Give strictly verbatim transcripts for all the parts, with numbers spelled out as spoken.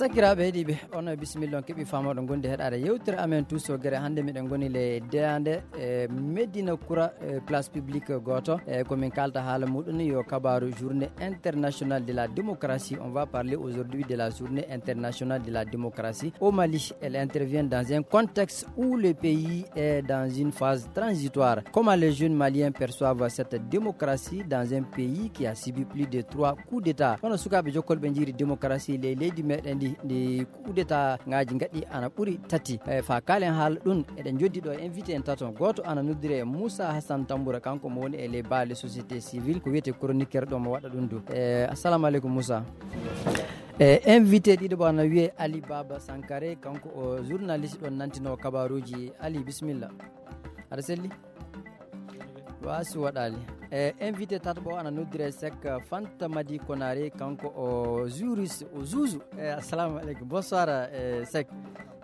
Sakiraaɓe heɗiiɓe, on e bisimilla, on keɓi faamooɗo gondi heɗaade yewtere amen Tuuso Gere. Hannde miɗen ngoni le deyaande e Medina Kura, e place publique gooto. E ko min kaalta haala muɗum yo kabaaru journée internationale de la démocratie. On va parler aujourd'hui de la journée internationale de la démocratie au Mali. Elle intervient dans un contexte où le pays est dans une phase transitoire. Comment les jeunes maliens perçoivent cette démocratie dans un pays qui a subi plus de trois coups d'État? Hono sukaaɓe jokkolɓe njiiri démocratie ley leydi meɗen ndi, ndi coup d'État ngaji ngaɗi ana ɓuri tati. E, fa kaalen haala ɗum, eɗen joddi ɗo invité en tato. Gooto ana noddire Moussa Hassan Tamboura, kanko mo woni e les bas les sociétés civiles, ko wiyete chroniqueur ɗo mo waɗa ɗum du. E, assalamu aleykum Moussa. E, invité ɗiɗo ɓo ana wiye Ali Baba Sankare, kanko o journaliste ɗon nantino kabaruji. Ali, bisimilla. Aɗa selli? Wa si waɗaali. E, invité tataɓo ana noddire Sek Fanta Madi Konare, kanko o juriste, o juuju. E, assalamu aleykum. Bonsoir, e, Sek.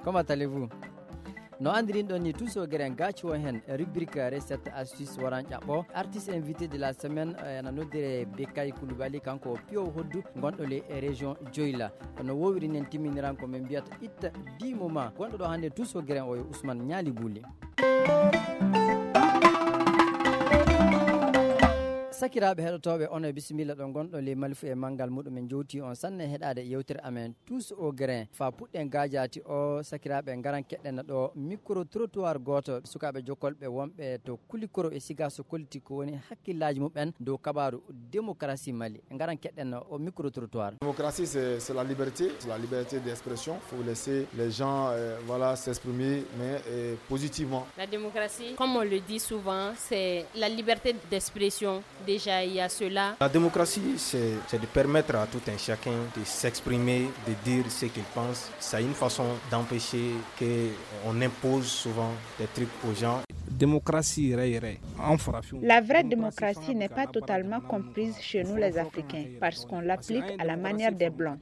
Comment allez-vous? No andirin ɗon ni, Tuuso Gere en gaaci o hen, rubrique recette astuce waran ƴaɓɓo. Artiste invité de la semaine, e, ana noddire Bekay Koulibaly, kanko o piyo hoddu, gonɗo le région Joyla. No wowiri nen timminiran ko min mbiyata itta dix moments. Gonɗo ɗo hannde Tuuso Gere en o yo Ousmane Ñaali Buuli. Sakiraaɓe heɗotooɓe, on e bisimilla ɗo ngonɗo ley malifu e manngal muɗum. En jowti on sanne heɗaade yewtere amen Tuuso Gere en. Fa puɗɗen gaajaati o, sakiraaɓe, ngaran keɗɗen ɗo micro trottoir gooto sukaaɓe jokkolɓe wonɓe to Kulikoro e Sigaso, kolliti ko woni hakkillaaji muɓɓen dow kabaaru démocratie Mali. Ngaran keɗɗen o micro trottoir. Démocratie, c'est, c'est la liberté, c'est la liberté d'expression. Faut laisser les gens, euh, voilà, s'exprimer, mais, euh, positivement. La démocratie, comme on le dit souvent, c'est la liberté d'expression. Déjà, il y a cela. La démocratie, c'est, c'est de permettre à tout un chacun de s'exprimer, de dire ce qu'il pense. C'est une façon d'empêcher que on impose souvent des trucs aux gens. Démocratie, rey, rey. La vraie démocratie n'est pas totalement comprise chez nous les Africains, parce qu'on l'applique à la manière des Blancs.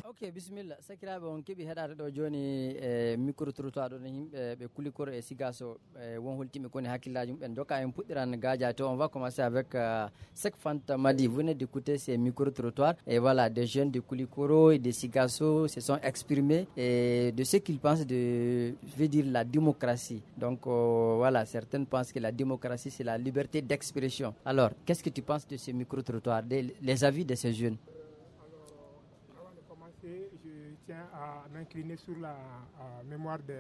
Ok, bisimilla. Sakiraaɓe, on keɓi heɗaade ɗo jooni e micro trottoir ɗo, no yimɓe ɓe Kulikoro e Sigaso, e won holtiɓe koni hakkillaaji muɓɓen. Jokka en puɗɗiran gaajaade to. On va commencer avec, euh, Sek Fanta Madi. Vous venez d'écouter ces micro trottoirs. Et voilà, des jeunes de Kulikoro et de Sigaso se sont exprimés et de ce qu'ils pensent de, veut dire la démocratie. Donc, euh, voilà, certains pensent que la démocratie, c'est la liberté d'expression. Alors, qu'est-ce que tu penses de ces micro trottoirs, des, les avis de ces jeunes? Avant de commencer, je tiens à m'incliner sur la, euh, mémoire de,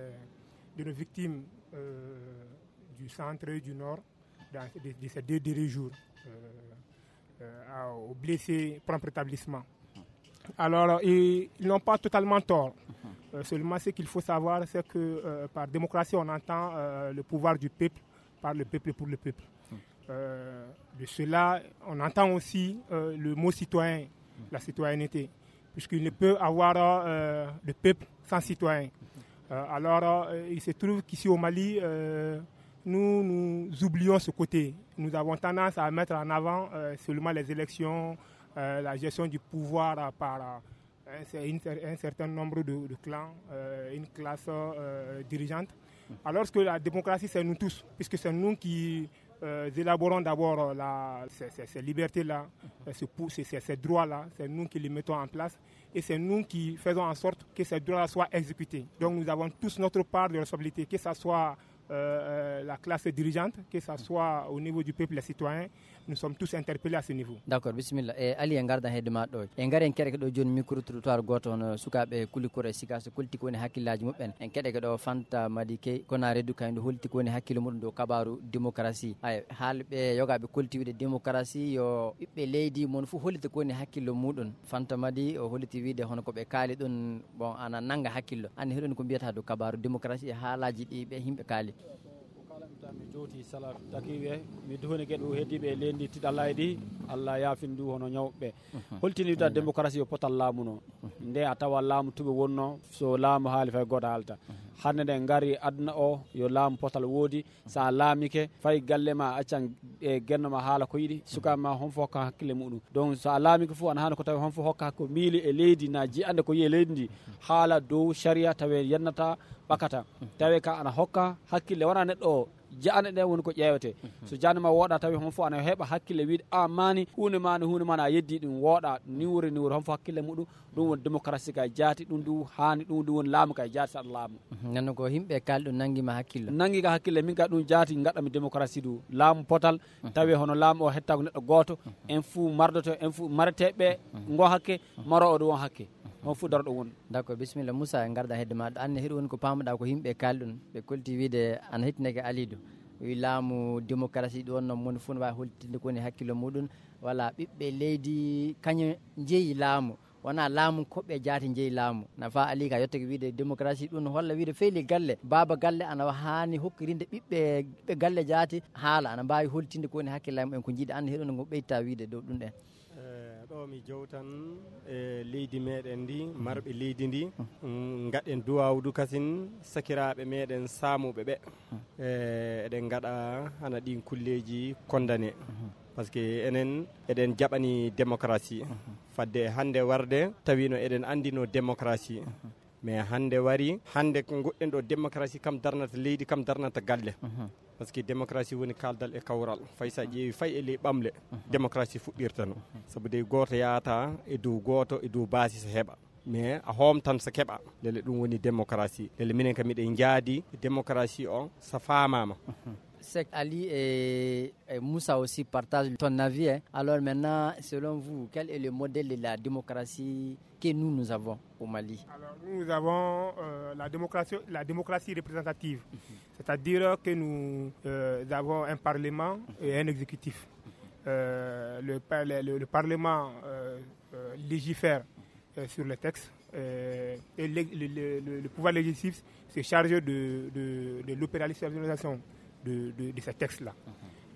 de nos victimes, euh, du centre et du nord, dans, de, de ces deux derniers jours, euh, euh, à, aux blessés, prompt rétablissement. Alors, ils n'ont pas totalement tort. Euh, seulement, ce qu'il faut savoir, c'est que, euh, par démocratie, on entend, euh, le pouvoir du peuple, par le peuple, pour le peuple. Euh, de cela, on entend aussi, euh, le mot citoyen, la citoyenneté, puisqu'il ne peut avoir, euh, de peuple sans citoyen. Euh, alors, euh, il se trouve qu'ici au Mali, euh, nous, nous oublions ce côté. Nous avons tendance à mettre en avant, euh, seulement les élections, euh, la gestion du pouvoir, euh, par, euh, un, cer-, une cer-, un certain nombre de, de clans, euh, une classe, euh, dirigeante. Alors que la démocratie, c'est nous tous, puisque c'est nous qui, euh, élaborons d'abord la, ces, ces, ces libertés-là, euh, ce pou-, ces, ces, ces droits-là, c'est nous qui les mettons en place et c'est nous qui faisons en sorte que ces droits-là soient exécutés. Donc nous avons tous notre part de responsabilité, que ce soit, euh, euh, la classe dirigeante, que ce soit au niveau du peuple, les citoyens, nous sommes tous interpellés à ce niveau. D'accord, bisimilla. E Ali, en ngardan hedde ma ɗo. En ngari en keɗeke ɗo jooni micro trottoir gooto hono sukaaɓe Kulikoro e Sigaso, kolti ko woni hakkillaaji muɓɓen. En keɗeke ɗo Fanta Madi Key, kono a reedu kayndo, holti ko woni hakkille muɗum dow kabaaru démocratie. Ay, haalɓe yogaaɓe kolti wiide démocratie yo ɓiɓɓe leydi mon fof hollita ko woni hakkillo muɗum. Fanta Madi o holliti wiide hono ko ɓe kaali ɗum, bon, ana nannga hakkillo. Anndi hiɗon ko mbiyata dow kabaaru démocratie e haalaaji ɗi ɓe yimɓe kaali? Ko kaalamta mi jowti sala takiɓe, mi duhoni geɗe o heddiɓe e leydi tiɗalay ɗi, Allah yaafin ndu hono ñawɓe. Holtini wita démocratie yo potal laamu no. Nde a tawa laamu tuɓe wonno, so laamu haali fay gooto haalta. Hannde nde ngari aduna o, yo laamu potal woodi, so a laamike, fay galle ma accan e genno ma haala ko yiɗi, sukaaɓe ma hon fof hokka hakkille muɗum. Donc so a laamike fof ana haani ko tawi hon fof hokka ko miili e leydi na jiyande ko yiye leydi ndi, haala dow sharia tawe yennata ɓakata. Tawe ka ana hokka hakkille wona neɗɗo o Ja'ane ɗen woni ko ƴeewetee. So ja'ane ma wooɗa tawi hon fof ana heɓa hakkille wiide, a maani, huunde maani, huunde maani, a yeddi ɗum wooɗa, ni wuri, ni wuri, hon fof hakkille muɗum, ɗum woni démocratie ka jaati, ɗum du haani, ɗum du woni laamu ka jaati saɗa laamu. Nanno ko yimɓe kaali ɗum nangi ma hakkille. Nangi ka hakkille, min ka ɗum jaati, ngaɗa mi démocratie du, laamu potal, tawi hono laamu o hettaako neɗɗo gooto, en fuu mardoto, en fuu mareteɓe, ngo hakke, maro o du won hakke. On fuu daro ɗo woni. D'accord, bisimilla. Moussa, en ngarda hedde maɗa. Anne, hiɗo woni ko pamuɗa ko yimɓe kaali ɗum, ɓe kolti wiide ana hittineke Alidu. Wi laamu démocratie ɗo wonno moni fof no wawi holtinde ko woni hakkille muɗum. Wala ɓiɓɓe leydi kañum jeeyi laamu. Wona laamu koɓe jaati jeeyi laamu. Nafa Ali ka yettake wiide démocratie ɗum no holla wiide feyli galle. Baaba galle ana wa-, haani hokkirinde ɓiɓɓe, ɓiɓɓe galle jaati haala. Ana mbawi holtinde ko woni hakkille mumen ko jiiɗa anne hiɗo no ɓeyta wiide dow ɗum ɗen. Eh, ɗo mi jowtan e leydi meɗen ndi, marɓe leydi ndi, mm, ngaɗen duwawdu kasin sakiraɓe meɗen samuɓe ɓe. Eh, eɗen ngaɗa hana ɗin kulleji condamné. Parce que enen eɗen jaɓani démocratie. Fadde hande warde tawino eɗen andino démocratie. Mais hande wari, hande ko goɗɗen ɗo démocratie kam darnata leydi, kam darnata galle. Parce que démocratie woni kaldal e kawral. Fay sa ƴeewi fay e ley ɓamle, démocratie fuɗɗirta no. Sabu dey gooto yahata e dow gooto, e dow baasi so heɓa. Mais a homtan so keɓa. Lele ɗum woni démocratie. Lele minen kam miɗen jaadi démocratie o so faamaama. Sek Ali et, et Moussa aussi partagent ton avis, hein. Alors maintenant, selon vous, quel est le modèle de la démocratie que nous, nous avons au Mali ? Alors, nous, nous avons, euh, la démocratie, la démocratie représentative. C'est-à-dire que nous, euh, avons un parlement et un exécutif. Euh, le, par-, le, le, le parlement, euh, euh, légifère, euh, sur les textes, euh, et le, le, le, le, le pouvoir législatif se charge de, de, de l'opérationnalisation de, de, de ces textes-là.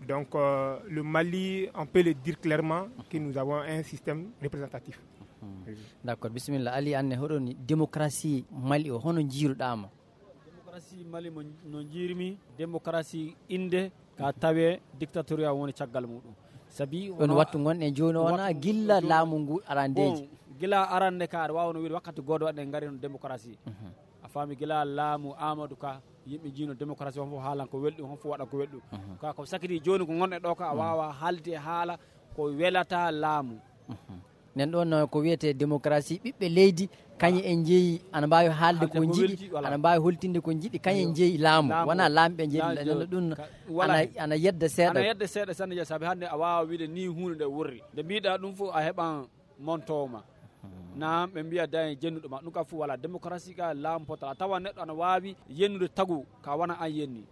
Donc, euh, le Mali, on peut le dire clairement que nous avons un système représentatif. D'accord, bisimilla. Ali, anne hoɗoni démocratie Mali o, hono jiiruɗama? Démocratie Mali mo, no jiirmi, démocratie inde ka tawe dictatorial woni caggal muɗum. Sabi ɗon wona wattu gonɗen jooni o wona wattu gilla jooni. Laamu ngu arandeji. Bon, gila arande ka aɗa wawi no wiide wakkati goɗɗo waɗɗen ngari no démocratie. A faami gila laamu Amadou Ka, yimɓe jiino démocratie, hon fof haalan ko welɗum, hon fof waɗan ko welɗum. Ka ko sakiti jooni ko gonɗen ɗo ka a wawa haalde haala ko welata laamu. Nen ɗon, uh, ko wiyete démocratie, ɓiɓɓe leydi, kañe en jeeyi, ana mbawi haalde ko jiɗi, ana mbawi holtinde ko jiɗi, kañe en jeeyi laamu, wona laamɓe jeeyi, nen ɗum ana, ana yedda seeɗa. Ana yedda seeɗa sanne jeeyi, saabi hannde a wawa wiide ni huunde nde wurri. Nde mbiɗa ɗum fof a heɓan montowo ma. Naam, ɓe mbiya dañe jennuɗo ma. Ɗum kam fof wala. Démocratie ka laamu potal. A tawa neɗɗo ana wawi yennude tagu ka wona an yenni.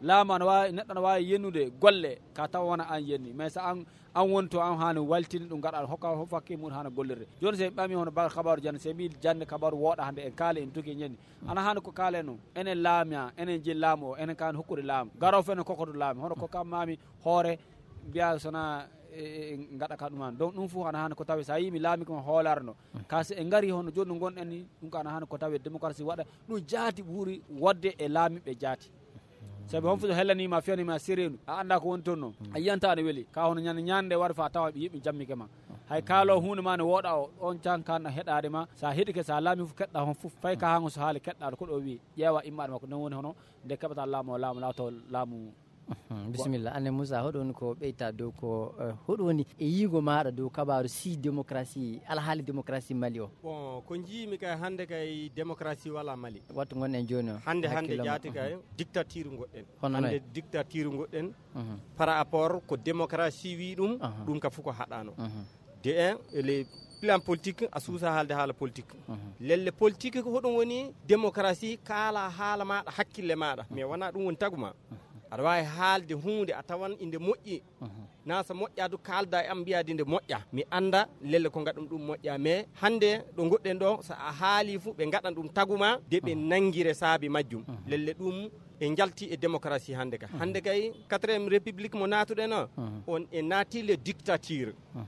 Laamu ana wawi, neɗɗo ana wawi yennude golle ka tawa wona an yenni. Mais so an, an woni to an haani waltini ɗum, gaɗa hokka, hokka hakke mum haana gollirde. Joni se ɓami hono bagal kabaru jande, se mbi jande kabaru wooɗa hande en kaali en tuki en ñani. Ana haani ko kaalen noon. Enen laami a, enen jeyi laamu o, enen kaani hokkude laamu. Garo fof enen kokkoto laamu. Hono ko kam mami hoore mbiya sona e, e, e gaɗa ka ɗum an. Donc ɗum fof ana haani ko tawi sa yii mi laami ko hoolare no. Ka so en ngari hono joni no gonɗen ni, ɗum ka ana haani ko tawi démocratie waɗa. Ɗum jaati ɓuri wodde e laamiɓe jaati. Sabi hon fof so hellanima, fiyanima sereenu, a annda ko woni toon noon. A yiyanta ana weli. Ka hono ñande, ñande wari fa tawa ɓe yiɓe jammike ma. Hay kaalo hunde ma ne wooɗa o, on can kan heɗade ma. Sa heɗike, sa laami fof keɗɗa hon fof. Fay ka hango so haali keɗɗa ko ɗo wi, ƴeewa immaɗe makko. Non woni hono nde keɓata laamu o, laamu laato laamu. Mhm. Bisimilla. Anne Moussa, hoɗo woni ko ɓeyta dow ko, eh, hoɗo woni e yiigo maɗa dow kabaru si démocratie, alhaali démocratie Mali o? Bon, ko jiimi kay hannde kay démocratie wala Mali. Wattu gonɗen jooni o, hannde, hannde hakkille ma. Jaati kay dictature goɗɗen. Hono noy? Hannde dictature goɗɗen. Mhm. Par rapport ko démocratie wi ɗum, aha, ɗum ka fof ko haɗano. Mhm. De un, e le plan politique, a suusa haalde haala politique. Mhm. Lelle politique ko hoɗum woni démocratie, kaala haala maɗa, hakkille maɗa. Mais wona ɗum woni tagu ma. Mhm. Aɗa wawi haalde huunde a tawan inde moƴƴi. Mhm. Na so moƴƴa du kaalda e am mbiyade nde moƴƴa. Mi anda lelle ko ngaɗum ɗum moƴƴa. Mais hannde ɗo goɗɗen ɗo, so a haali fu ɓe ngaɗan ɗum tagu ma, de ɓe nangire saabi majjum. Mhm. Lelle ɗum e njalti e démocratie hannde ka. Mhm. Hannde kay quatrième république mo natuɗen o, mhm, on e naati le dictature. Mhm.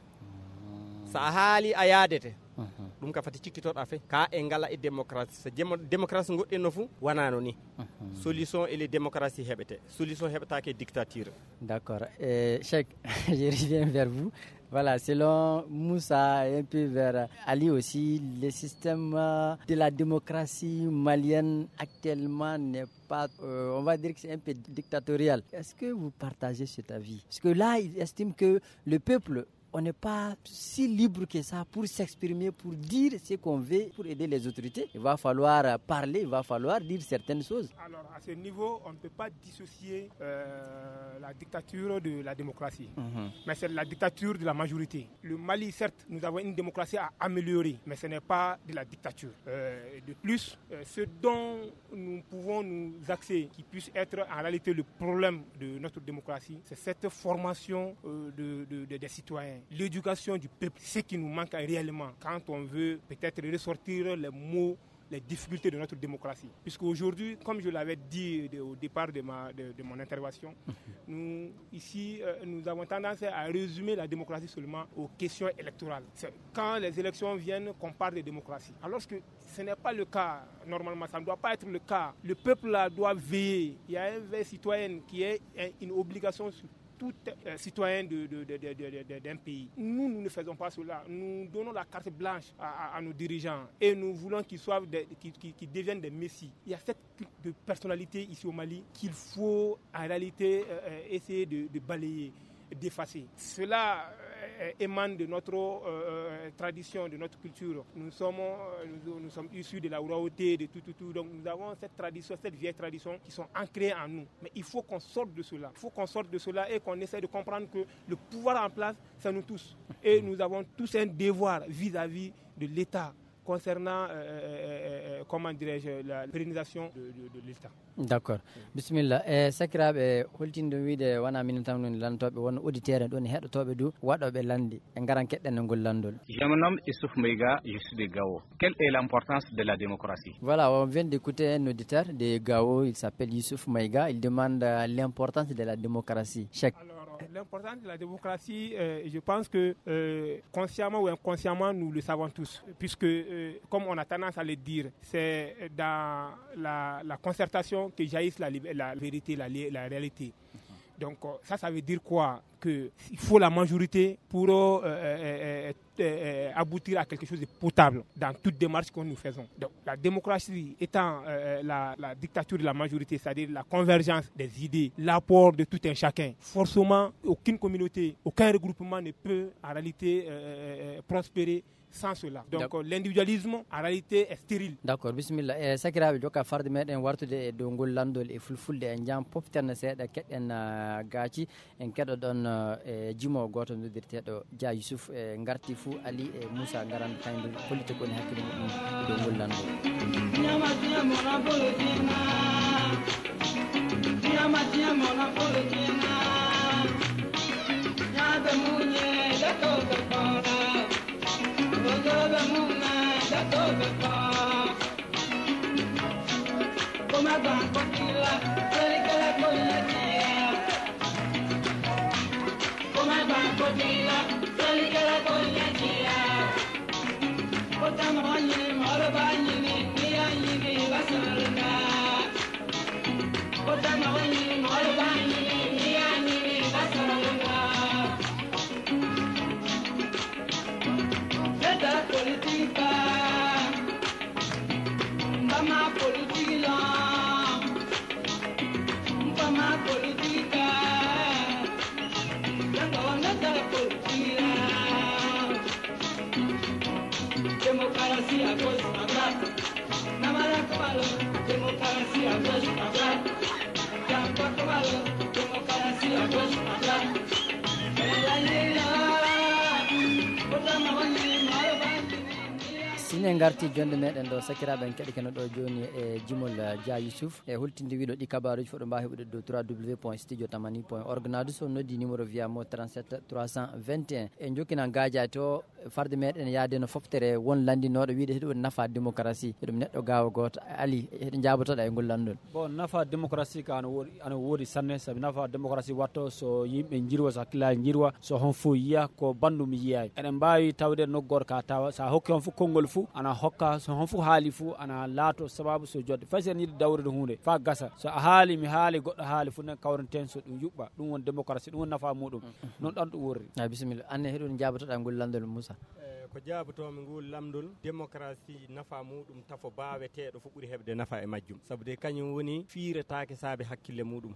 So a haali a yaadete. Mhm. Ɗum ka fati cikkitoɗa fe. Ka e ngala e démocratie. So démo-, démocratie goɗɗen no fu, wanano ni. Mhm. Solution e le démocratie heɓete. Solution heɓetake dictature. D'accord. Eh, Cheikh, je reviens vers vous. Voilà, selon Moussa, un peu vers Ali aussi, le système euh, de la démocratie malienne actuellement n'est pas, euh, on va dire que c'est un peu dictatorial. Est-ce que vous partagez cet avis? Parce que là, il estime que le peuple, on n'est pas si libre que ça pour s'exprimer, pour dire ce qu'on veut, pour aider les autorités. Il va falloir euh, parler, il va falloir dire certaines choses. Alors, à ce niveau, on ne peut pas dissocier euh, la dictature de la démocratie. Mhm. Mais c'est la dictature de la majorité. Le Mali, certes, nous avons une démocratie à améliorer, mais ce n'est pas de la dictature. Euh, de plus, euh, ce dont nous pouvons nous axer, qui puisse être en réalité le problème de notre démocratie, c'est cette formation euh, de, de- de- des citoyens, l'éducation du peuple, ce qui nous manque réellement quand on veut peut-être ressortir les maux, les difficultés de notre démocratie. Puisqu'aujourd'hui, comme je l'avais dit de- au départ de, ma, de- de mon intervention, nous, ici, euh, nous avons tendance à résumer la démocratie seulement aux questions électorales. C'est quand les élections viennent qu'on parle de démocratie. Alors que ce n'est pas le cas. Normalement, ça ne doit pas être le cas. Le peuple là doit veiller. Il y a un veille citoyen qui est euh, une obligation sur tout euh, citoyen de- de- de- de- de- de- d'un pays. Nous, nous ne faisons pas cela. Nous donnons la carte blanche à, à- à nos dirigeants et nous voulons qu'ils soient des- qu'ils qu'ils- qu'ils deviennent des messies. Il y a cette culte de personnalité ici au Mali qu'il faut en réalité euh, euh, essayer de, de balayer, d'effacer. Cela euh, émane de notre euh, euh, tradition, de notre culture. Nous sommes, euh, nous, nous sommes issus de la royauté, de tout, tout, tout. Donc nous avons cette tradition, cette vieille tradition qui sont ancrées en nous. Mais il faut qu'on sorte de cela. Il faut qu'on sorte de cela et qu'on essaie de comprendre que le pouvoir en place, c'est nous tous. Et nous avons tous un devoir vis-à-vis de l'État concernant, euh, euh, euh, euh, comment dirais-je, la pérennisation de, de- de l'État. D'accord. Bismillah. E sakiraaɓe, holtinde wiide wona minen tan woni lanndotooɓe, won auditeur en ɗon e heɗotooɓe du waɗooɓe lannde. En ngaran keɗɗen e ngol lanndol. Je me nomme Youssouf Meiga, je suis de Gao. Quelle est l'importance de la démocratie? Voilà, on vient d'écouter un auditeur de Gao, il s'appelle Youssouf Maïga, il demande euh, l'importance de la démocratie. Cheikh. Alors, l'importance de la démocratie, euh, je pense que euh, consciemment ou inconsciemment, nous le savons tous, puisque, euh, comme on a tendance à le dire, c'est dans la, la concertation que jaillissent la, lib- la vérité, la, li- la réalité. Donc, euh, ça, ça veut dire quoi? Qu'il faut la majorité pour euh, euh, euh, euh, euh, aboutir à quelque chose de potable dans toute démarche que nous faisons. Donc, la démocratie étant euh, la, la dictature de la majorité, c'est-à-dire la convergence des idées, l'apport de tout un chacun, forcément, aucune communauté, aucun regroupement ne peut en réalité euh, euh, euh, prospérer sans cela. Donc, euh, l'individualisme, en réalité, est stérile. D'accord, bismillah. E sakiraaɓe, jokka farde meɗen wartude e dow ngol lanndol e fulfulde, en jam poften seeɗa, keɗen euh, gaaci. En keɗoɗon eh, e jimo gooto noddirteeɗo Dia Yusuf, e ngarti fuu Ali e Moussa ngaran tayndu hollita ko woni hakkille muɗum e dow ngol lanndol. Sine ngarti jonde meɗen ɗo, sakiraaɓe en keɗi keno ɗo jooni e jimol eh, Dia Youssouf. E hultinde wiɗo ɗi kabaruji fof ɗo mbawi heɓude dow trois w point studio tamani point org. Nadu so noddi numéro via mo trente-sept trois cent vingt et un. E jokkina gajato. Farde meɗen yaade no foftere won lanndinooɗo wiide hiɗum woni nafa démocratie, hiɗum neɗɗo gaawo gooto. Ali, hiɗo njaabotoɗa e ngol lanndol? Bon, nafa démocratie ka ana woodi, ana woodi sanne, sabi nafa démocratie watto so yimɓe njirwa, so hakkillaaji njirwa, so hon fof yiya ko banndum yiyaay. Eɗen mbaawi tawde nokku gooto ka tawa, so a hokki hon fof konngol fof, ana hokka, so hon fof haali fof, ana laato sababu so jodde. Fay so en yiɗi dawrude huunde, faa gasa. So a haali, mi haali, goɗɗo haali fof, nen kawrenten so ɗum yuɓɓa. Ɗum woni démocratie, ɗum woni nafa muɗum. Noon ɗon ɗum worri. A bisimilla. Anne, heɗun njaabotoɗa ngol lanndol, Moussa? Eh, ko jaabotoomi ngol lamndol, démocratie nafa muɗum tafo baaweteeɗo fof ɓuri heɓde nafa e majjum. Sabu de kañum woni fiiretaake saabe hakkille muɗum.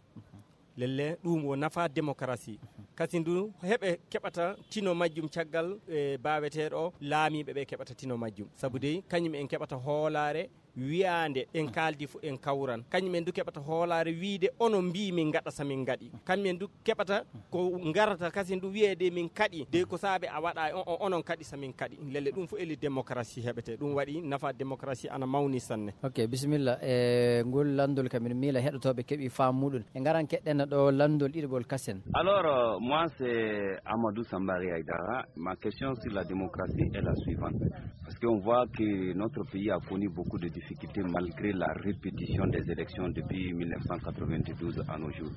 Lelle, ɗum wo nafa démocratie. Kasi ndu heɓe keɓata tino majjum caggal, eh, baaweteeɗo o, laamiiɓe ɓe keɓata tino majjum. Sabu de kañum en keɓata hoolaare wiyaande en kaaldi fof en kawran. Kañum en du keɓata hoolaare wiide onon mbii min ngaɗa so min ngaɗi. Kañum en du keɓata ko ngarata kasi ndu wiyeede min kaɗi. De ko saabe a waɗa o, o, onon kaɗi so min kaɗi. Lelle ɗum fof eli démocratie heɓete. Ɗum waɗi nafa démocratie ana mawni sanne. Ok, bisimilla. E ngol lanndol kam, miɗo miila heɗotooɓe keɓi faamu muɗum. E ngaran keɗɗen ɗo lanndol ɗiɗaɓol kasen. Alors, euh, moi, c'est Amadou Sambari Aïdara. Ma question sur la démocratie est la suivante. Parce qu'on voit que notre pays a connu beaucoup de difficultés malgré la répétition des élections depuis mille neuf cent quatre-vingt-douze à nos jours.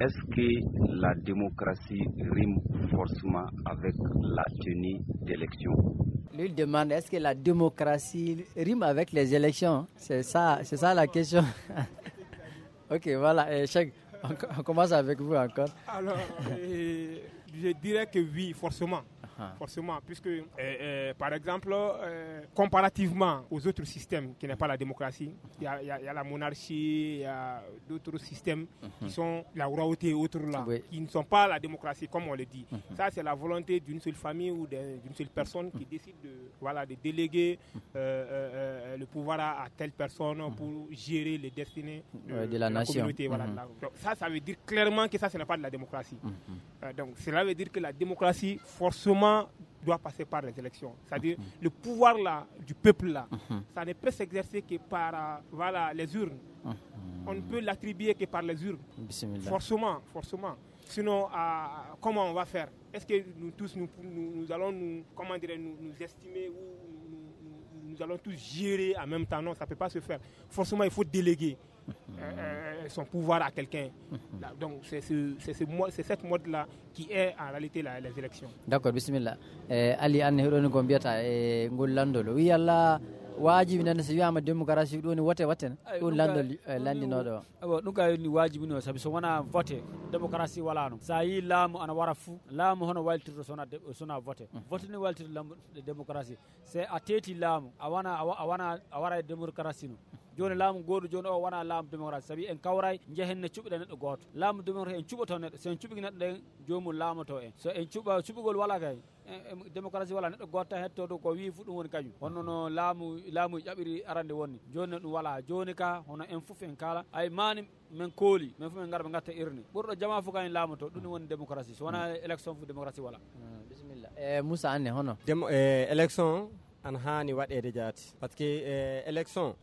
Est-ce que la démocratie rime forcément avec la tenue d'élections ? Lui demande, est-ce que la démocratie rime avec les élections ? C'est ça, c'est ça la question. Ok, voilà, eh, Cheikh, on, on commence avec vous encore. Alors, euh, je dirais que oui, forcément. Ah. Forcément, puisque, euh, euh, par exemple, euh, comparativement aux autres systèmes qui n'est pas la démocratie, il y a, il y a, il y a la monarchie, il y a d'autres systèmes qui sont la royauté et autres là, oui, qui ne sont pas la démocratie, comme on le dit. Ça, c'est la volonté d'une seule famille ou d'un- d'une seule personne qui décide de, voilà, de déléguer euh, euh, euh, le pouvoir à, à telle personne pour gérer les destinées de, Ouais, de la de la nation. Communauté. Voilà, de la- Donc, ça, ça veut dire clairement que ça, ce n'est pas de la démocratie. Euh, donc, cela veut dire que la démocratie, forcément, doit passer par les élections. C'est-à-dire, le pouvoir là, du peuple là, ça ne peut s'exercer que par, euh, voilà, les urnes. On ne peut l'attribuer que par les urnes. Bisimilla. Forcément, forcément. Sinon, euh, comment on va faire ? Est-ce que nous tous, nous, nous, nous allons nous, comment dirais, nous, nous estimer ou nous, nous- nous allons tous gérer en même temps ? Non, ça ne peut pas se faire. Forcément, il faut déléguer euh, euh, son pouvoir à quelqu'un. Là, donc, c'est ce- c'est ce mo- c'est cette mode-là qui est en réalité la- les élections. D'accord, bisimilla. E Ali, anne heɗoni ko mbiyata e ngol lanndol o wiya la waajibi nande so wiyama démocratie ɗum woni wote watten. Ɗum lanndol e lanndinooɗo o. Awa, ɗum kay ni waajibi no, sabi so wona vote, démocratie wala no. Sa yi laamu ana wara fou, laamu hono wayltirto sona de- sona vote. Vote ni wayltirto lambu- démocratie. Se a teeti laamu, a wana a wa- a wana a wara e démocratie no. Joni laamu godu joni o wana laamu démocratie, sabi en kawray jehen ne cuɓiɗa neɗɗo goto. Laamu démocratie en cuɓoto neɗɗo, so en cuɓi neɗɗo ɗen, jomum laamoto en. So en cuɓa cuɓugol wala kay, en- en- démocratie wala, neɗɗo goto tan hetto ɗo ko wi fu ɗum woni kañum. Honno no laamu laamu ƴaɓiri arande wonni. Joni no ɗum wala. Joni ka hono en fof en kala. Ay mani men kooli, men fof men ngar ɓe gatta irne. Ɓurɗo jama fof kañum laamoto, ɗum woni démocratie. So wona élection fof démocratie wala. Ah, bisimilla. E Moussa, anne hono? Demo- e élection ana haani waɗeede jaati. Parce que e élection,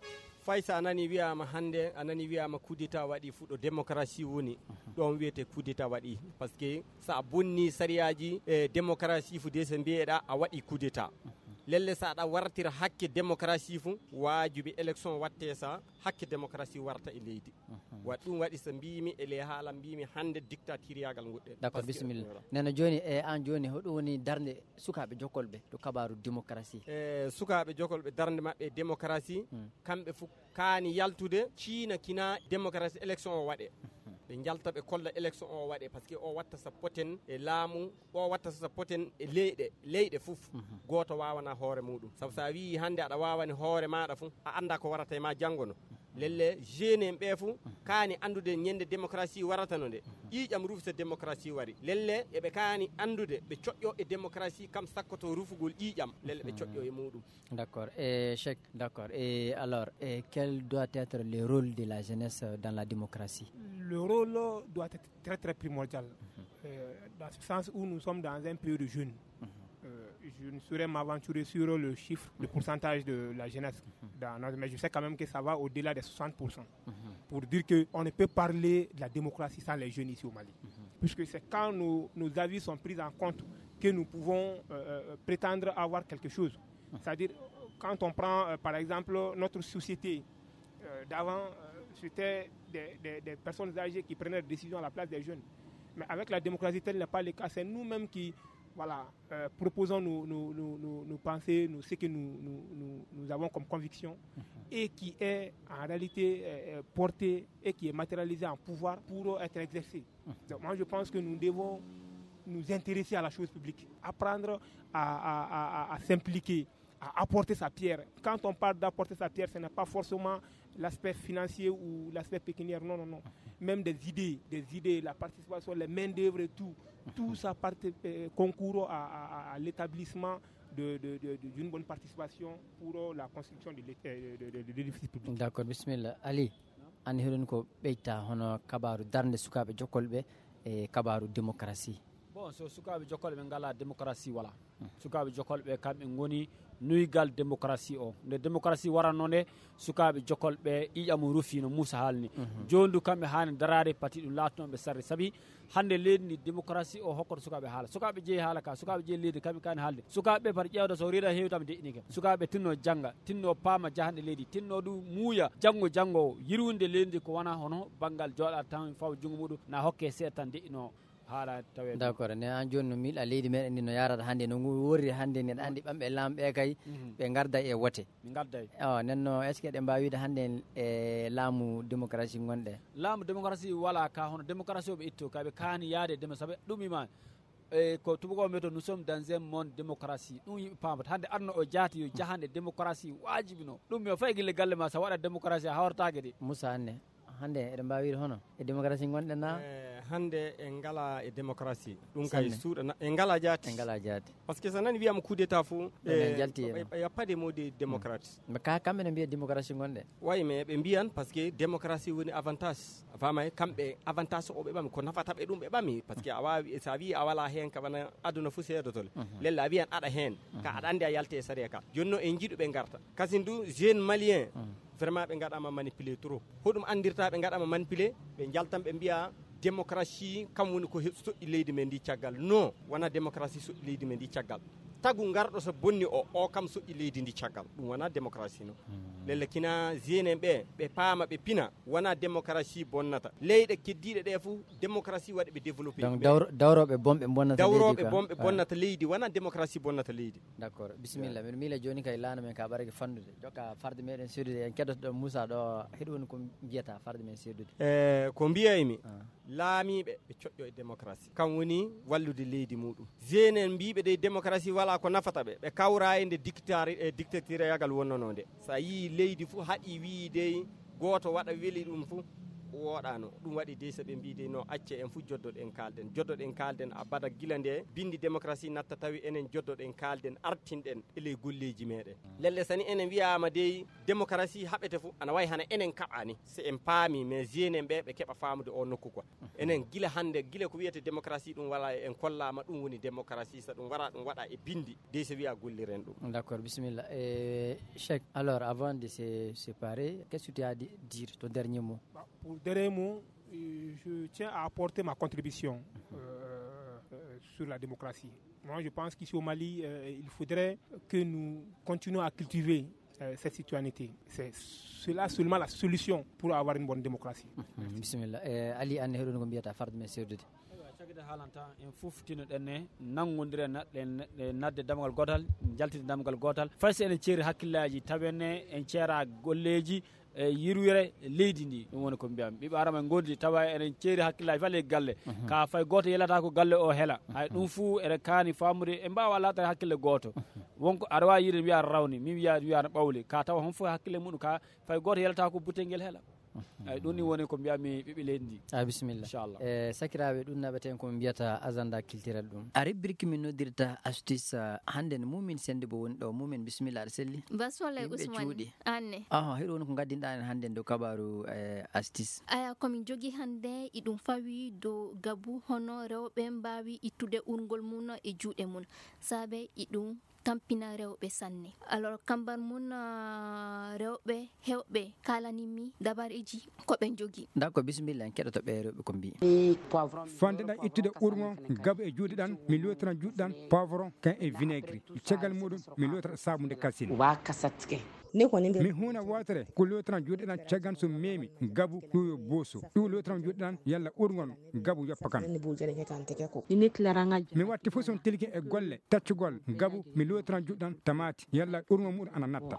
fay so a nani wiyama hannde, a nani wiyama coup d'état waɗi fuɗo démocratie woni, ɗon wiyete coup d'état waɗi. Parce que so a bonni sariyaaji e démocratie fu de so mbiyeɗa a waɗi coup d'état. Lelle so aɗa wartira hakke démocratie fu, waajibi élection watte sa hakke démocratie warta e leydi. Wa ɗum waɗi so mbimi e ley haala mbimi hannde dictatiriyaagal nguɗɗen. D'accord, bisimilla. Nena joni e an joni hoɗum woni darnde sukaaɓe jokolɓe to kabaru démocratie? E sukaaɓe jokolɓe darnde maɓɓe e démocratie, kamɓe fof kaani yaltude ciina kina démocratie élection o waɗe. Ɓe njalta ɓe kolla élection o waɗe, parce que o watta so poten e laamu, o watta so poten e leyɗe leyɗe fof. Gooto wawana hoore muɗum, sabu sa wi hannde aɗa wawani hoore maɗa fof, a annda ko warata e ma janngo no. Lelle jeune en ɓe fof kaani anndude ñande démocratie warata no nde. Ƴiiƴam rufi so démocratie wari, lelle eɓe kaani anndude ɓe coƴƴo e démocratie kam sakkoto rufugol ƴiiƴam, lelle ɓe coƴƴo e muɗum. D'accord. Et Cheikh, d'accord. Et alors, et quel doit être le rôle de la jeunesse dans la démocratie? Le rôle doit être très, très primordial. Euh, dans ce sens où nous sommes dans un pays de jeunes. Euh, je ne saurais m'aventurer sur le chiffre, le pourcentage de la jeunesse dans notre, mais je sais quand même que ça va au-delà des soixante pour cent. Pour dire qu'on ne peut parler de la démocratie sans les jeunes ici au Mali. Puisque c'est quand nos, nos avis sont pris en compte que nous pouvons euh, euh, prétendre avoir quelque chose. C'est-à-dire, quand on prend euh, par exemple notre société euh, d'avant, euh, c'était des, des- des personnes âgées qui prenaient des décisions à la place des jeunes. Mais avec la démocratie, tel n'est pas le cas. C'est nous-mêmes qui, voilà, euh, proposons nos, nos- nos- nos- nos pensées, nos- ce que nous, nous- nous- nous avons comme conviction et qui est en réalité euh, euh, porté et qui est matérialisé en pouvoir pour être exercé. Donc moi, je pense que nous devons nous intéresser à la chose publique, apprendre à, à- à- à- à s'impliquer, à apporter sa pierre. Quand on parle d'apporter sa pierre, ce n'est pas forcément l'aspect financier ou l'aspect pécuniaire, non, non, non. Même des idées, des idées, la participation, les mains d'œuvre et tout, tout ça part- euh, concourt à, à- à l'établissement de- de- de- de- d'une bonne participation pour euh, la construction de l'é- euh, de- de- de l'édifice public. D'accord, bismillah. Ali, an hiɗon ko ɓeyta hono kabaru darnde sukaaɓe jokkolɓe e kabaru démocratie. Bon, so sukaaɓe jokkolɓe ɓe ngala démocratie wala. Sukaaɓe jokkolɓe ɓe kamɓe ngoni nuygal démocratie o. Nde démocratie waranno nde, sukaaɓe jokkolɓe ɓe ƴiƴam rufi no Moussa haalni. Jooni du kamɓe haani daraade pati ɗum laatno ɓe sarde. Sabi hannde leydi ndi démocratie o hokkoto sukaaɓe haala. Sukaaɓe jeeyi haala ka, sukaaɓe jeeyi leydi kamɓe kaani haalde. Sukaaɓe ɓe pati ƴeewta so reeɗa heewi tan deƴƴinike. Sukaaɓe tinno jannga, tinno paama jahanɗe leydi, tinno du muuya janngo janngo o. Yirwinde leydi ndi ko wona hono banngal jooɗa tan fawa junngo muɗum na hokke seeɗa tan deƴƴino. Haala tawe. D'accord, ne an jooni no miiɗa leydi meɗen ndi no yarata hannde no ngu worri hannde ni, aɗa anndi ɓamɓe laamɓe kay ɓe ngarda e wote. Ɓe ngarda e. Awa nenno, est ce que eɗen mbawi wiide hannde e laamu démocratie gonɗe? Laamu démocratie wala ka hono démocratie o ɓe itto kay ɓe kaani yaade demo sabe ɗum ima. E ko tubakoɓe mbiyata nous sommes dans un monde démocratie, ɗum yimɓe paamata hannde aduna o jaati yo jahande démocratie wajibi no ɗum yo fay gille galle ma sa waɗa démocratie a hawrataake de. Moussa anne, hannde eɗen mbawi wiide hono e démocratie gonɗen na? Eh, hannde en ngala e démocratie, ɗum kay suuɗa en ngala jaati. En ngala jaati. Parce que so nani wiyama coup d'état fof Ɗon en jalti heen. Il y a pas de mot de démocratie. Mais ka kamɓe ne mbiya démocratie gonɗe? Wayi mais ɓe mbiyan parce que démocratie woni avantage. Fama e kamɓe avantage o ɓe ɓami ko nafata ɓe ɗum ɓe ɓami parce que a wawi sa wi a wala heen ka wona aduna fof seedotole. Lella a wiyan aɗa heen ka aɗa andi a yalte e sariya ka. Joni no en jiiɗu ɓe garta kasin du jeune malien. Vraiment ɓe gaɗama manipulé trop. Hoɗum andirta ɓe gaɗama manipulé? Ɓe jaltan ɓe mbiya démocratie kam woni ko soƴƴi leydi men ndi caggal. Non, wona démocratie soƴƴi leydi men ndi caggal. Tagu garɗo so bonni o o kam soƴƴi leydi ndi caggal, ɗum wona démocratie non. Lelle kina jeune en ɓe ɓe paama ɓe pina, wona démocratie bonnata. Leyɗe keddiɗe ɗe fof démocratie waɗi ɓe développé. Donc dawro- dawroɓe bonɓe bonnata leydi dawroɓe quoi. Bonɓe Ah. Bonnata leydi, wona démocratie bonnata leydi. D'accord, bismillah. Miɗo miila jooni kay laana men ka ɓarake fandude jokka farde meɗen seedude en keddotoɗo Moussa ɗo, hiɗo woni ko mbiyata farde men seedude? E ko mbiyaymi, laamiiɓe ɓe coƴƴo e démocratie kam woni wallude leydi muɗum. Jeune en mbiɓe dey démocratie wala ko nafata ɓe, ɓe kawra e nde dictari e dictatirayagal wonnano nde. Sa yii leydi fof haɗi wii dey gooto waɗa weli ɗum fof wooɗano. Ɗum waɗi dey so ɓe mbii dey no acce en fof joddoɗen kaalden joddoɗen kaalden abada gila nde bindi démocratie natta tawi enen joddoɗen kaalden artinɗen e ley golleeji meɗen. Lelle sani enen wiyama dey démocratie haɓete fof ana wayi hana enen kaɓani so en paami mais jeune en ɓe ɓe keɓa faamude o nokku quoi. Enen gila hannde gila ko wiyete démocratie ɗum wala en kollama ɗum woni démocratie so ɗum wara ɗum waɗa e bindi dey so wiya golliren ɗum. D'accord, bismillah. Eh, Cheikh, alors avant de se séparer, qu'est-ce que tu as à di- dire, ton dernier mot? Bah, pour dernier mot, euh, je tiens à apporter ma contribution euh, euh, sur la démocratie. Moi, je pense qu'ici au Mali, euh, il faudrait que nous continuions à cultiver euh, cette citoyenneté. C'est cela seulement la solution pour avoir une bonne démocratie. Bismillah. Eh, Ali, anne heɗon ko mbiyata farde men seedude? Caggal haalanta en fof tinoɗen ne nanngondiren naɗɗen e nadde damgal gootal, jaltide damgal gootal fay so enen ceeri hakkillaji tawen ne en ceera golleji e yirwere leydi ndi. Ɗum woni ko mbiyami ɓiɓɓe adama en gondi tawa eɗen ceeri hakkillaji fale galle ka fay goto yelata ko galle o hela. Hay ɗum fuu eɗen kaani famude en mbawa latade hakkille goto. Wonko aɗa wawi yiide wiya aɗa rawni mi wiya wiya aɗa ɓawli ka tawa hon fof hakkille muɗum ka fay goto yelata ko butel ngel hela. Ay ɗum ni woni ko mbiyami ɓiɓɓe leydi ndi. A bisimilla. Inchallah. E sakiraɓe ɗum naɓeten ko mbiyata agenda culturel ɗum a rubrique min noddirta astuce. Hannde no mumin sende bo woni ɗo mumin bisimilla aɗa selli. Baswala Usmane. Anne. Aha hiɗo woni ko gaddinɗa en hannde dow kabaru e astuce. Aya komin jogi hannde iɗum fawi dow gabu hono rewɓe mbawi ittude urgol mum e juuɗe mum saabe iɗum tampina rewɓe sanne. Alors, kamban mun, ah, rewɓe hewɓe kaalani mi dabareeji ko ɓe njogi. D'accord, bisimilla, en keɗoto ɓe rewɓe ko mbii. Fande ɗan ittude urŋo gabu e juuɗe ɗan, mi lootiran juuɗe ɗan poivron kan e vinaigre. Caggal muɗum, mi lootira saabu nde kasin. Mi huuna wootere ko lootiran juuɗe ɗan caggan so meemi gabu ɗum yo booso. Ɗum lootiran juuɗe ɗan yalla urŋon gabu yoppa kan. Mi watti fof son tilki e golle taccugol gabu, mi lootiran juuɗe ɗan tamaati yalla urŋon muɗum ana natta.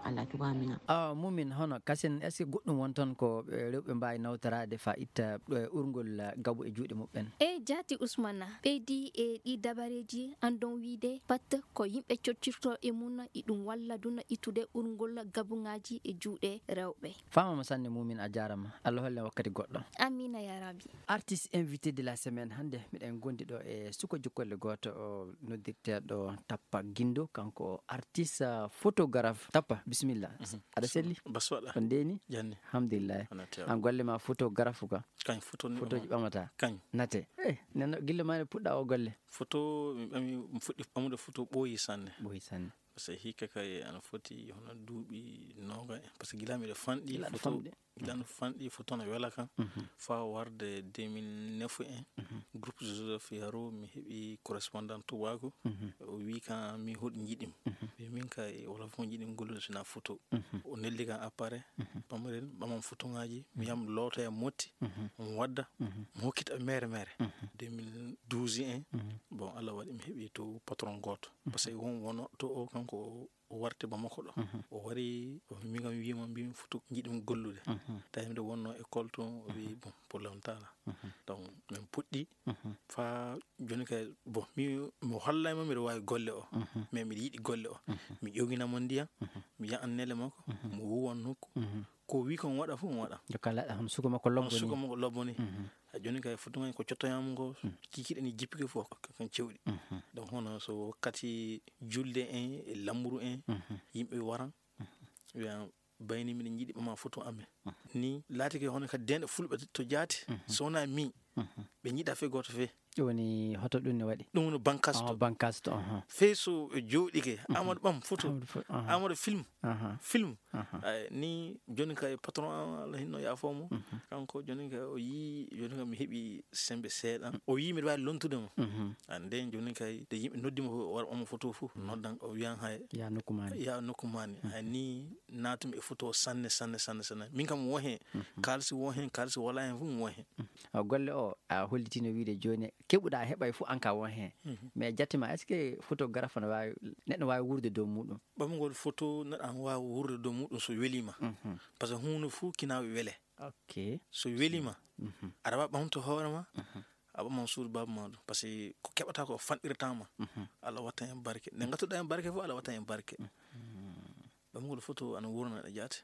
Awa mumin, hono kasen, est-ce que goɗɗum won toon ko, eh, rewɓe mbaawi nawtoraade faa itta, eh, urngol, eh, gabu e juuɗe muɓɓen? E jaati Usmana, ɓeydi e ɗi dabareeji, anndon wiide pat ko yimɓe coccirto e mun, iɗum walla duna ittude urngol gabuŋaaji e juuɗe rewɓe. Faamama sanne mumin, a jaarama. Allah holle wakkati goɗɗo. Amiina ya Rabbi. Artiste invité de la semaine, hannde miɗen gondi ɗo e suko jukkolle gooto, o noddirteeɗo Tappa Gindo, kanko o artiste, ah, photographe. Tappa, bisimilla. Mhm. Aɗa selli? Bas waɗa. On ndeeni? Janni. Alhamdulillah. Ana tewa. An golle ma photographe ka? Kañ, photo ni. Photoji ɓamata? Kañ. Nate. Eh, nenno, gilla ma ne puɗɗa o golle? Photo, mi ɓami, mi fuɗɗi ɓamude photo ɓooyi sanne. Ɓooyi sanne. Parce que hikka kay ana foti hono duuɓi nooga en. Parce que gila miɗo fanɗi gila aɗa photo, fanɗi. Gila no fanɗi photo no wela kan. Mhm. Fa warde deux mille neuf en. Mhm. Groupe Joseph Yaro, mi heɓi correspondant tubaaku. Mhm. O wi kan mi hoɗi njiɗim. Mhm. Wi min kay wala fof njiɗim gollude sina photo. Mhm. O neldi kan appareil. Mhm. Pamaren ɓaman photo ngaji. Mi yam looto e motti. Mhm. Mo wadda. Mhm. Mo hokkita mere mere. Mhm. Deux mille douze en. Mhm. Bon, Allah waɗi mi heɓi to patron gooto. Mhm. Parce que won wono to o kanko o o warti Bamako ɗo. Mhm. O wari, o mi kam wiima, mbimi foto njiɗum gollude. Mhm. Tawi miɗo wonno école toon, o wi, mhm, bon, pour le moment, mhm, donc, min puɗɗi, mhm, fa joni kay, bon, mi, mo hollay ma miɗo waawi golle o. Mhm. Mais miɗo yiɗi golle o. Mhm. Mi ƴoginamo ndiyam, mhm, mi yahan nele makko, mhm, mo wuwan nokku. Mhm. Ko wi kon waɗa fof, mo waɗa. Jokka laɗa, hono suka makko lobbo ni. Hono suka makko lobbo ni. Mhm. A joni kay foto ngan ko cottoyam ngo, mm, kikiɗe ni jippike fof ko kan cewɗi. Mhm. Donc hono so wakkati julde en e lamru en, mhm, yimɓe waran, mhm, wiya bayni miɗen njiɗi ɓama foto amen. Mhm. Ni laatike hono kadi denɗe fulɓe to jaati, mhm, so wona mi, mhm, ɓe njiɗa fe gooto fe. Ɗum woni hoto ɗum ne waɗi? Ɗum woni bankasto. Oh, bankasto, aha. Fey so ɓe jooɗike, mhm, Amadou ɓam foto, Amadou fo-, aha, Amadou film, aha, film. Aha. Ay, ni joni kay patron am, Allah hinno yaafoo mo. Mhm. Kanko joni kay o yii, joni kay mi heɓi sembe seeɗa. O yii miɗo waawi lontude mo. Mhm. An nden joni kay de yimɓe noddi mo o wara omo foto fof. Mhm. Noddan o wiyan hay. Ya nokku maani. Ya nokku maani. Mhm. Ay ni naatumi e foto sanne, sanne, sanne, sanne. Min kam mi won hen. Mhm. Kaalisi won hen, kaalisi wala hen fof mi won hen. Mhm. Awa golle o a hollitino wiide joni keɓuɗa heɓay fof an ka won hen. Mhm. Mais jatte ma est-ce que photographe no waawi, neɗɗo waawi wuurde dow muɗum? Ɓamgol photo, neɗɗo ana waawi wuurde dow muɗum so weliima. Mhm. Par ce que huunde fof kina wele. Ok. So weliima, mhm, aɗa waawi ɓamto hoore ma, mhm, a ɓaman suudu baaba ma ɗum. Par ce que ko keɓata ko fanɗirta ma. Mhm. Allah watta hen barke. Nde ngattuɗa hen barke fof, Allah watta hen barke. Mhm. Ɓamgol photo ana wuurna ɗe jaate.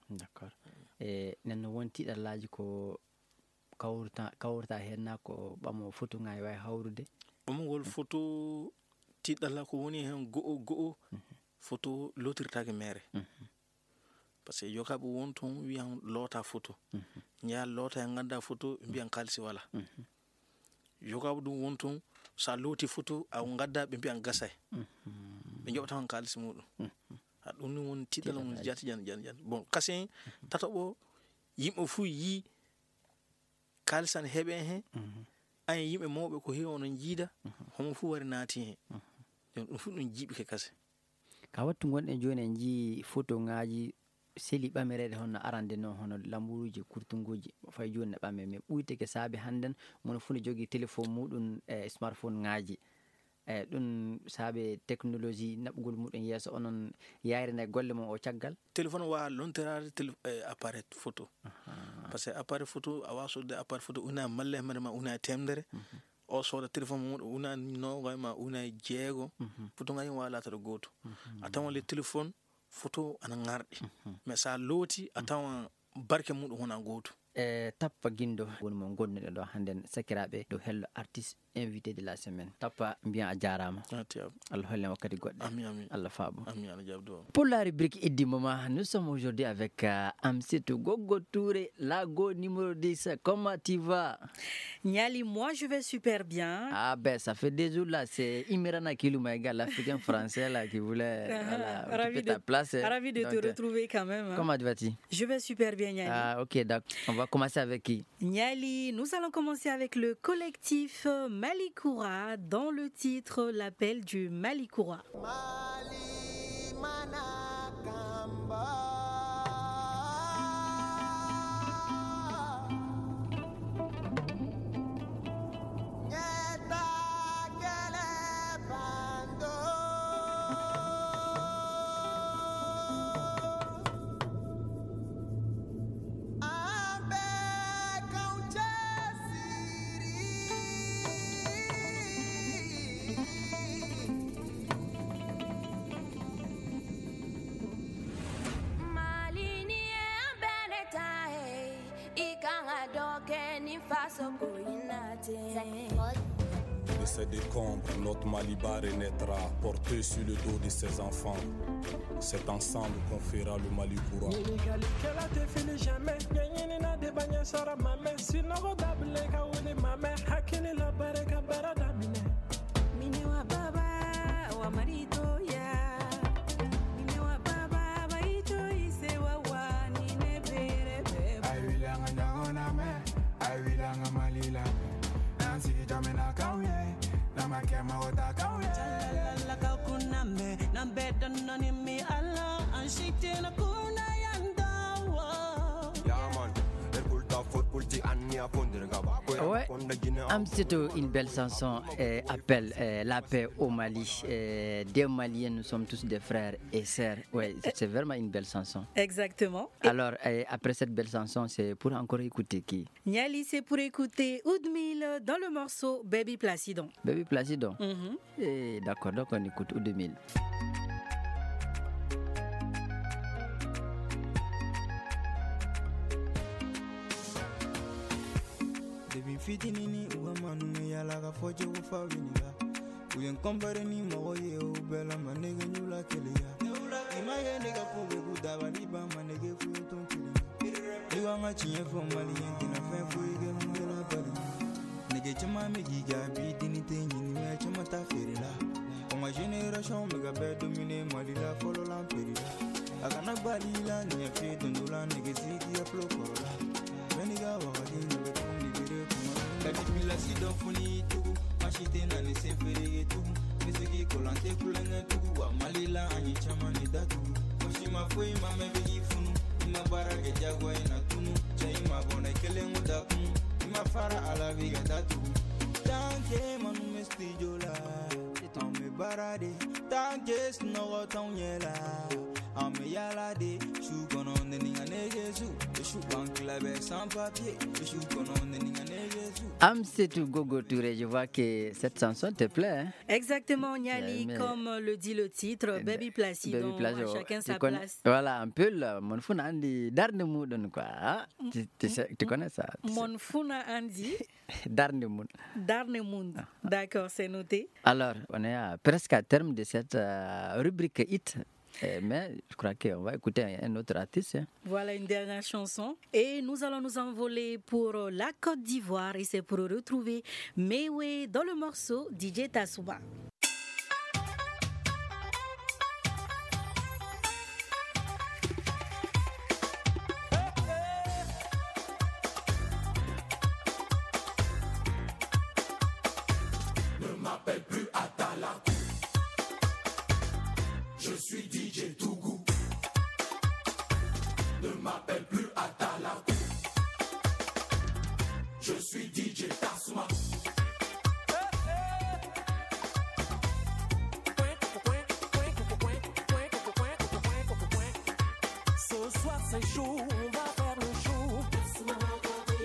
D'accord. E, nen no won tiiɗallaaji ko kawrata, kawrata hen na ko ɓamo photo ngaji wawi hawrude? Ɓamgol, mhm, photo tiiɗalla ko woni hen go'o go'o, mhm, photo lootirtaake mere. Mhm. Par ce que yogaaɓe won toon wiyan loota photo. Mhm. Njaha loota e ngannda photo, ɓe mbiyan kaalisi wala. Mhm. Yogaaɓe ɗum won toon, so a looti photo, a ngadda, ɓe mbiyan gasay. Mhm. Ɓe njoɓata on kaalisi muɗum. Mhm. A ɗum ni woni tiiɗalla mum. Tiiɗalla jaati jan, jan, jan. Bon, kasen, mhm, tataɓo, yimɓe fuu yii kaalisi ana heɓe hen. Mhm. Ayen yimɓe mawɓe ko heewi onon njiida, mhm, homo fuu wari naati hen. Mhm. Donc, ɗum fuu ɗum jiiɓike kase. Ka wattu gonɗen jooni, en njii photo ngaji seli ɓamereede hono arande noon, hono lamburuuji kurtunguuji, fay jooni ne ɓame. Mais ɓuyteke saabe hannden, mono fuu ne jogii téléphone muɗum e smartphone ngaji. E ɗum saabe technologie naɓugol muɗum yeeso, onon yayrina e golle mon o caggal? Téléphone waawa lontoraade télé-, e appareil photo. Aha. Par ce que appareil photo, a waawa sodde appareil photo una e malle, mare ma una e teemedere. Mhm. O sooda téléphone mum, o una e noogay ma una e jeego. Mhm. Photo ngaji waawa laatade gooto. Mhm. A tawan le téléphone, photo ana ŋarɗi. Mhm. Mais so a looti, a, mhm, tawan barke muɗum wona gootum. E Tappa Guindo woni mo ngonduɗen ɗo hannden, sakiraaɓe, dow Hello Artiste, invité de la semaine. Tappa, mbiyan a jaaraama. A tiyam. Allah hollen wakkati goɗɗe. Amin, amin. Allah faabo. Amin, Allah jaabdo. Pour la rubrique Iddi Mama, nous sommes aujourd'hui avec, euh, Amsitou Gogo Touré, Lago numéro dix. Comment tu vas? Niali, moi je vais super bien. Ah ben, ça fait des jours là, c'est Imirana Kiluma, gars, l'Africain français là, qui voulait, voilà, occuper ta place, hein. Ravi de te retrouver quand même, hein. Donc, euh, comment vas-tu? Je vais super bien, Niali. Ah, ok, d'accord. On va commencer avec qui? Niali, nous allons commencer avec le collectif Malikoura dans le titre L'appel du Malikoura. Malini e ambele tae, ikanga doke ni faso ko inate. De ces décombres, notre Maliba renaîtra, porté sur le dos de ses enfants. C'est ensemble qu'on fera le Mali courant. Nini kali kela te fili jamais, nyenyini na de banya sara mame, sinogo dable ka wuli mame, hakili la bare ka bara damine. Mini wa baba, wa marito ya. Mini wa baba, ba ito ise wa wa, ni ne bere bebe. I will hang on down, amen. I will hang on, Malila. Nancy, Jamina, Kauye. Nama kema, Ota, Kauye. Chalala, Kakunambe, Nambe, Dononi, mi Allah, and she didn't kuna yanda. Yeah, man. Ouais. Amsitou, une belle chanson, euh, appelle, euh, la paix au Mali. Euh, des Maliens, nous sommes tous des frères et sœurs. Ouais, c'est, c'est vraiment une belle chanson. Exactement. Et alors, euh, après cette belle chanson, c'est pour encore écouter qui? Niali, c'est pour écouter Oudmil dans le morceau Baby Placidon. Baby Placidon. Mhm. Eh, d'accord, donc on écoute Oudemil. Debi fitini ni uwa manu me yala ka fojo ufa winiga. Uyen kompare ni mago ye u bela manege nyula keleya. Ima ye nega pube ku daba liba manege fu ton kili. Liwa nga chinye fo mali yenti na fen fo ige mungela bali. Nege chama me giga bi dini te nyini me chama ta ferila. Oma generation me ga be domine mali la folo la perila. Aga na bali la ni ya fi dundula nege sigi ya flo korola. Meni ga wa ga dini be kundi bere kuma. Kadi pila si do funi tugu. Mashite na ni se fere tugu. Misiki kolante kulenge tugu. Wa mali la anyi chama ni datu. Mashima fo ima me bigi funu. Ima bara ke jagwa ina tunu. Cha ima bona kele nguda kunu. Ima fara ala biga datu. Tanke manu mesti jola. Ame barade. Tanke snogo tonyela. Ame yalade. Shugono neni ane Jesu. Shuban klabe sans papier. Shugono neni ane Jesu. Amsitou Gogo Touré, je vois que cette chanson te plaît, hein? Exactement, Niali, mais, comme le dit le titre, euh, Baby Placidon, Baby Placidon, chacun sa place. Voilà, un peu là, mon fou na andi darde mudon quoi. Hein? Tu, tu sais, tu connais ça, tu sais. Mon fou na andi. Darde mudon. Darde mudon. Ah. D'accord, c'est noté. Alors, on est à, presque à terme de cette, euh, rubrique hit. Euh, mais je crois qu'on va écouter un, un autre artiste, hein. Voilà une dernière chanson. Et nous allons nous envoler pour, euh, la Côte d'Ivoire. Et c'est pour retrouver Mewe dans le morceau D J Tassouma. Ne m'appelle plus Atalaku. Je suis D J Tougou. Ne m'appelle plus Atalaku. Je suis D J Tassouma. Ce soir c'est chaud, on va faire le show.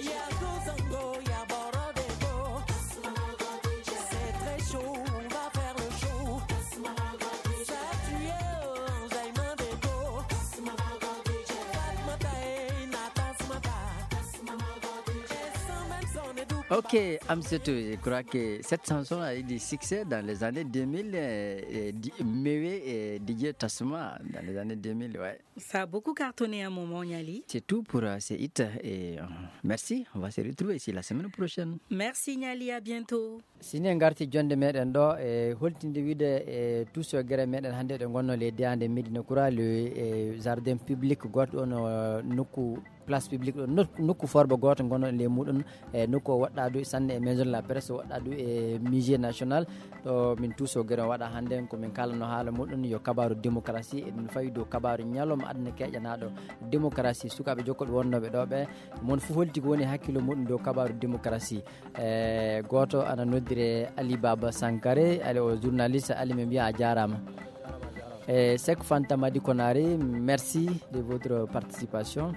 Y a Gozango, y a Borodego. C'est très chaud, on va faire le show. Ça tue, enjaillement d'ego. Fatmata, eh, Nathan Smata. Ok, Amsetou, je crois que cette chanson a eu du succès dans les années deux mille, euh, et di- Mewe et D J Tasma dans les années deux mille, ouais. Ça a beaucoup cartonné à un moment, Niali. C'est tout pour euh, ce hit et euh, merci. On va se retrouver ici la semaine prochaine. Merci, Niali. À bientôt. Si en ngarti jonde meɗen ɗo e holtinde wiide e tuso gere meɗen hannde ɗo gonno leydi ande Médina Kura le e jardin public goto ɗon, euh, nokku place publique ɗo nok- nokku forbo goto gonno le muɗum e nokku o waɗɗa du sanne e maison de la presse, waɗɗa du e musée national. Ɗo min tuso gere o waɗa hannde ko min kalano haala muɗum yo kabaru démocratie, eɗen fawi dow kabaru ñalawma aduna keƴanaɗo démocratie. Sukaɓe jokkoɓe wonnoɓe ɗo ɓe, mon fof holti ko woni hakkillo muɗum dow kabaru démocratie. E goto ana noddire Ali Baba Sankare, ali o journaliste, ali min mbiya a jarama. E Sek Fanta Madi Konari, merci de votre participation.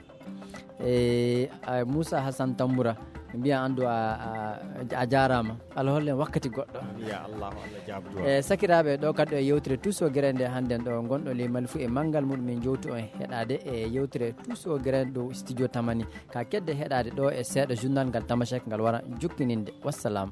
E a- Moussa Hassan Tamboura, mbiya andu a, a, a jarama. Allah hollen wakkati goɗɗo. Ya Allahu, Allah jaabdu. E sakiraɓe, ɗo kadi e yewtere tuso gere nde hannden ɗo gonɗo ley Mali fuu e manngal muɗum, min jowtu on heɗade e yewtere tuso gere dow studio Tamani. Ka kedde heɗade ɗo e seeɗa journal ngal Tamashek ngal wara jukkininde. Wassalam.